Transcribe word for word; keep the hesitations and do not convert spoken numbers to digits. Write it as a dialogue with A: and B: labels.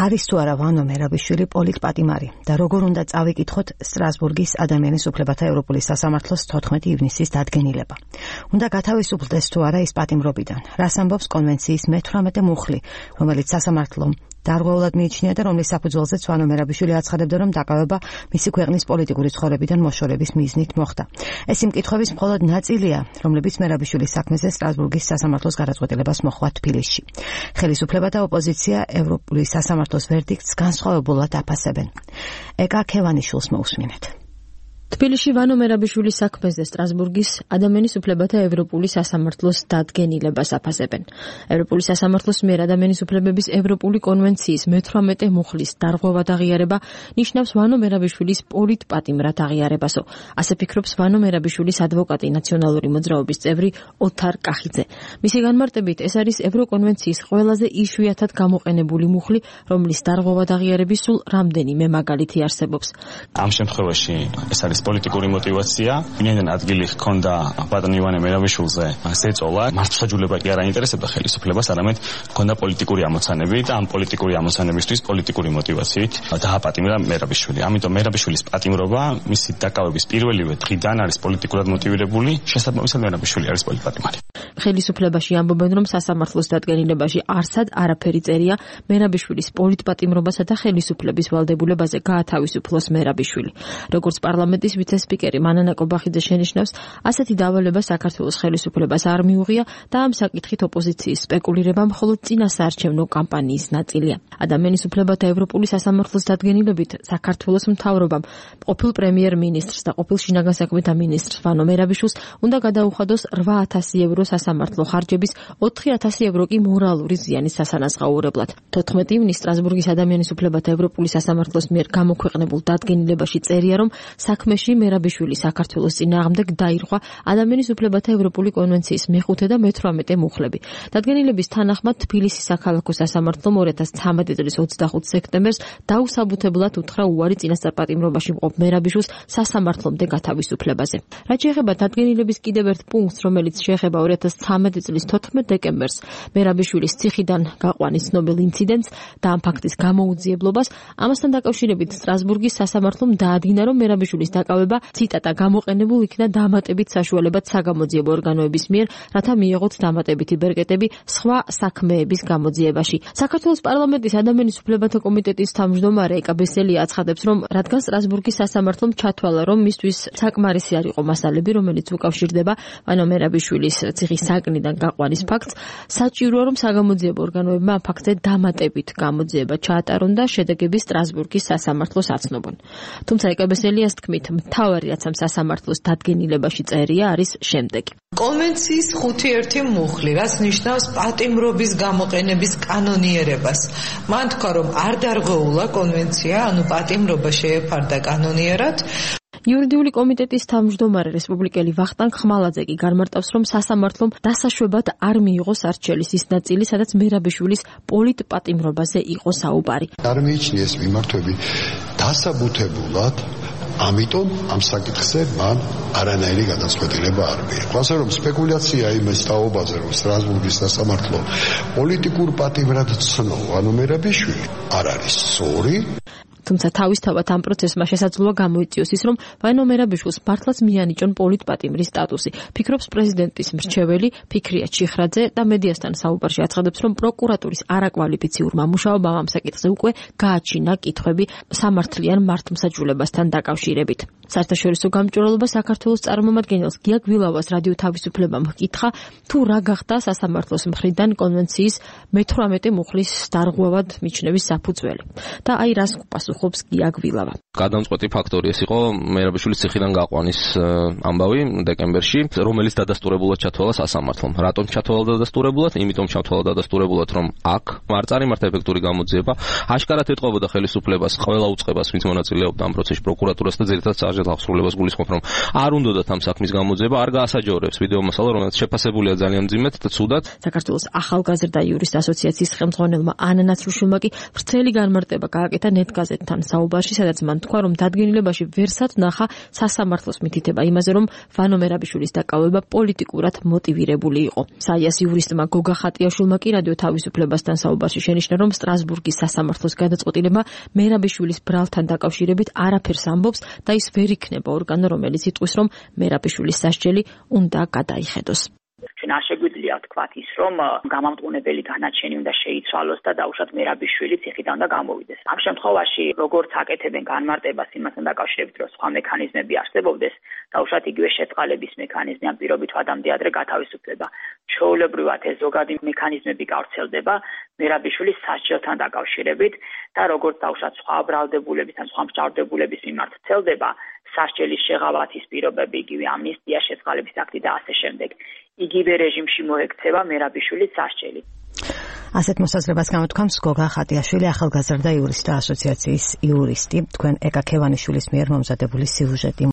A: არის თუ არა ვანო მერაბიშვილი პოლიტპატიმარი და როგორ უნდა წავიკითხოთ სტრასბურგის ადამიანის უფლებათა ევროპული სასამართლოს თოთხმეტი ივნისის დადგენილება. უნდა გათავისუფლდეს თუ არა ის პატიმრობიდან. რას ამბობს კონვენციის მეთვრამეტე მუხლი, რომელიც სასამართლომ დარღვეულად მიიჩნია და რომლის საფუძველზეც ვანო მერაბიშვილი აცხადებდა, რომ დაკავება მისი ქვეყნის პოლიტიკური ცხოვრებიდან მოშორების მიზნით მოხდა. ეს იმ კითხვების მხოლოდ ნაწილია, რომლებიც მერაბიშვილის საქმეზე სტრასბურგის სასამართლოს გადაწყვეტილებას მოჰყვა თბილისში. ხელისუფლება და ოპოზიცია ევროპული სასამართლოს ვერდიქტს განსხვავებულად აფასებენ. ეკა ქევანიშვილს მოусმინეთ.
B: თბილისში ვანო მერაბიშვილის საქმეზე სტრასბურგის ადამიანის უფლებათა ევროპული სასამართლოს დადგენილებას აფასებენ. ევროპული სასამართლოს მიერ ადამიანის უფლებების ევროპული კონვენციის მეთვრამეტე მუხლის დარღვევად აღიარება ნიშნავს ვანო მერაბიშვილის პოლიტპატიმრად აღიარებასო. ასე ფიქრობს ვანო მერაბიშვილის ადვოკატი, ნაციონალური მოძრაობის წევრი ოთარ კახიძე. მისი განმარტებით, ეს არის ევროკონვენციის ყველაზე იშვიათად გამოყენებული მუხლი, რომლის დარღვევად აღიარების სულ რამდენიმე მაგალითი არსებობს.
C: ამ შემთხვევაში ეს არის პოლიტიკური мотиваცია. ვინაიდან ადგილი ჰქონდა ბატონ ივანე მერაბიშვილზე ზეწოლა, მართლმსაჯულება კი არ აინტერესებდა ხელისუფლებას, არამედ ჰქონდა პოლიტიკური ამოცანები და ამ პოლიტიკური ამოცანებისთვის პოლიტიკური мотиваციით დააპატიმრა მერაბიშვილი. ამიტომ მერაბიშვილის პატიმრობა მისი დაკავების პირველივე დღიდან არის პოლიტიკურად მოტივირებული, შესაბამისად მერაბიშვილი არის პოლიტპატიმარი.
B: ხელისუფლებაში ამბობენ, რომ სასამართლოს დადგენილებაში არსად არაფერი წერია მერაბიშვილის პოლიტპატიმრობასა და ხელისუფლების ვალდებულებაზე გაათავისუფლოს მერაბიშვილი. როგორც პარლამენტის ვიცე-სპიკერი მანანა კობახიძე შენიშნავს, ასეთი დავალება საქართველოს ხელისუფლებას არ მიუღია და ამ საკითხით ოპოზიციის სპეკულირება მხოლოდ წინასაარჩევნო კამპანიის ნაწილია. ადამიანის უფლებათა ევროპული სასამართლოს დადგენილებით საქართველოს მთავრობამ ყოფილ პრემიერ-მინისტრს და ყოფილ შინაგან საქმეთა მინისტრს ვანო მერაბიშვილს უნდა გადაუხადოს რვა ათასი ევრო სასამართლო ხარჯების, ოთხი ათასი ევრო კი მორალური ზიანის სასანაზღაურებლად. თოთხმეტი ივნისს სტრასბურგის ადამიანის უფლებათა ევროპული სასამართლოს მიერ გამოქვეყნებულ დადგენილებაში წერია, რომ საქმეში მერაბიშვილი საქართველოს წინააღმდეგ დაირღვა ადამიანის უფლებათა ევროპული კონვენციის მეხუთე და მეთვრამეტე მუხლები. დადგენილების თანახმად თბილისის საქალაქო სასამართლომ ორი ათას ცხრამეტი წლის ოცდახუთი სექტემბერს დაუსაბუთებლად უთხრა უარი წინასწარ პატიმრობაში მყოფ მერაბიშვილს სასამართლომდე გათავისუფლებაზე. რაც შეეხება დადგენილების კიდევ ერთ პუნქტს, რომელიც შეეხება ორი ათას ცხრამეტი წლის თოთხმეტ დეკემბერს მერაბიშვილის ციხიდან გაყვანის ცნობილ ინციდენტს და ამ ფაქტის გამოუძიებლობას, ამასთან დაკავშირებით სტრასბურგის სასამართლომ დაადგინა, რომ მერაბიშვილის დაკავება ციტატა გამოყენებულ იქნა დამატებით საშუალებად საგამოძიებო ორგანოების მიერ, რათა მიეღოთ დამატებითი ბერკეტები სხვა საქმეების გამოძიებაში. საქართველოს პარლამენტის ადამიანის უფლებათა კომიტეტის თავმჯდომარე ეკა ბესელია აცხადებს, რომ რადგან სტრასბურგის სასამართლომ ჩათვალა, რომ მისთვის საკმარისი არ იყო მასალები, რომელიც უკავშირდება ვანო მერაბიშვილის ციხის საკნიდან გაყვანის ფაქტს, საჭიროა, რომ საგამოძიებო ორგანოებმა ამ ფაქტზე დამატებით გამოძიება ჩაატარონ და შედეგები სტრასბურგის სასამართლოს აცნობონ. თუმცა ეკა ბესელიას თქმით, მთავარი რაც ამ სასამართლოს დადგენილებაში წერია არის შემდეგი.
D: კონვენციის ხუთი ერთი მუხლი, რაც ნიშნავს პატიმრობის გამოყენების კანონიერებას. მან თქვა, რომ არ დარღვეულა კონვენცია, ანუ პატიმრობა შეეფარდა კანონიერად.
B: იურიდიული კომიტეტის თავმჯდომარე რესპუბლიკელი ვახტანგ ხმალაძე კი განმარტავს, რომ სასამართლომ დასაშვებად არ მიიღო სარჩელის ის ნაწილი, სადაც მერაბიშვილის პოლიტპატიმრობაზე იყო საუბარი.
E: არ მიიჩნია ეს მიმართვები დასაბუთებულად, ამიტომ ამ საკითხზე მან არანაირი გადაწყვეტილება არ მიიღო. ასე რომ სპეკულაცია იმის თაობაზე, რომ სტრასბურგის სასამართლო პოლიტიკურ პატიმრად ცნო ვანო მერაბიშვილი, არ არის სწორი.
B: თუმცა თავისთავად ამ პროცესმა შესაძლოა გამოიწვიოს ის, რომ ვანო მერაბიშვილს მართლაც მიანიჭონ პოლიტპატიმრის სტატუსი. ფიქრობს პრეზიდენტის მრჩეველი ფიქრია ჩიხრაძე და მედიასთან საუბარში აცხადებს, რომ პროკურატურის არაკვალიფიციურმა მუშაობამ ამ საკითხზე უკვე გააჩინა კითხვები სამართლიან მართლმსაჯულებასთან დაკავშირებით. საერთაშორისო გამჭვირვალობა საქართველოს წარმომადგენელს გია გვილავას რადიო თავისუფლებამ ჰკითხა, თუ რა გახდა სასამართლოს მხრიდან კონვენციის მეთვრამეტე მუხლის დარღვევად მიჩნევის საფუძველი. და აი რას პასუხობს გია გვილავა.
F: გადამწყვეტი ფაქტორი ეს იყო მერაბიშვილის ციხიდან გაყვანის ამბავი დეკემბერში, რომელიც დადასტურებულად ჩათვალა სასამართლომ. რატომ ჩათვალა დადასტურებულად? იმიტომ ჩათვალა დადასტურებულად, რომ აქ არ წარიმართა ეფექტური გამოძიება, აშკარად ეთყობოდა ხელისუფლებას ყველა უწყებას, ვინც მონაწილეობდა ამ პროცესში, პროკურატურას და ძირითადად konkret აღსრულებას გულისხმობ, რომ არ უნდათ ამ საქმის გამოძიება, არ გაასაჯორებს ვიდეო მასალა, რომელიც შეფასებულია ძალიან მძიმედ და ცუდად.
B: საქართველოს ახალგაზრდა იურისტ ასოციაციის ხელმძღვანელმა ანა ნაცრუშვილმა კი ვრცელი განმარტება გააკეთა ნეტგაზეთთან საუბარში, სადაც მან თქვა, რომ დადგენილებაში ვერსად ნახა სასამართლოს მითითება იმაზე, რომ ვანო მერაბიშვილის დაკავება პოლიტიკურად მოტივირებული იყო. საიას იურისტმა გოგა ხატიაშვილმა კი რადიო თავისუფლებასთან საუბარში შენიშნა, რომ სტრასბურგის სასამართლოს გადაწყვეტილება მერაბიშვილის ბრალთან დაკავშირებით არაფერს ამბობს და ის ვერ იქნება ორგანო, რომელიც იტყვის, რომ მერაბიშვილის სასჯელი უნდა გადაიხედოს.
G: ჩვენ არ შეგვიძლია ვთქვათ ის, რომ გამამტყუნებელი განაჩენი უნდა შეიცვალოს და დაუშვათ მერაბიშვილი ციხიდან და გამოვიდეს. ამ შემთხვევაში, როგორც აკეთებენ განმარტებას იმასთან დაკავშირებით, რომ სხვა მექანიზმები არსებობდეს, დაუშვათ იგივე შეწყალების მექანიზმი, ამ პირობით ვადამდე ადრე გათავისუფლება. ჩვეულებრივად ეს ზოგადი მექანიზმები გავრცელდება მერაბიშვილის სასჯელთან დაკავშირებით და როგორც დაუშვათ სხვა ბრალდებულების ან სხვა მსჯავრდებულების მიმართ ვრცელდება სასჯელის შეღავათის პირობები, იგივე ამნისტია, შეწყალების აქტი და ასე შემდეგ. იგივე რეჟიმში მოექცევა მერაბიშვილის სასჯელი.
A: ასეთ მოსაზრებას გამოთქვამს გოგა ხატიაშვილი, ახალგაზრდა იურისტთა ასოციაციის იურისტი. თქვენ ეკა ქევანიშვილის მიერ მომზადებული სიუჟეტი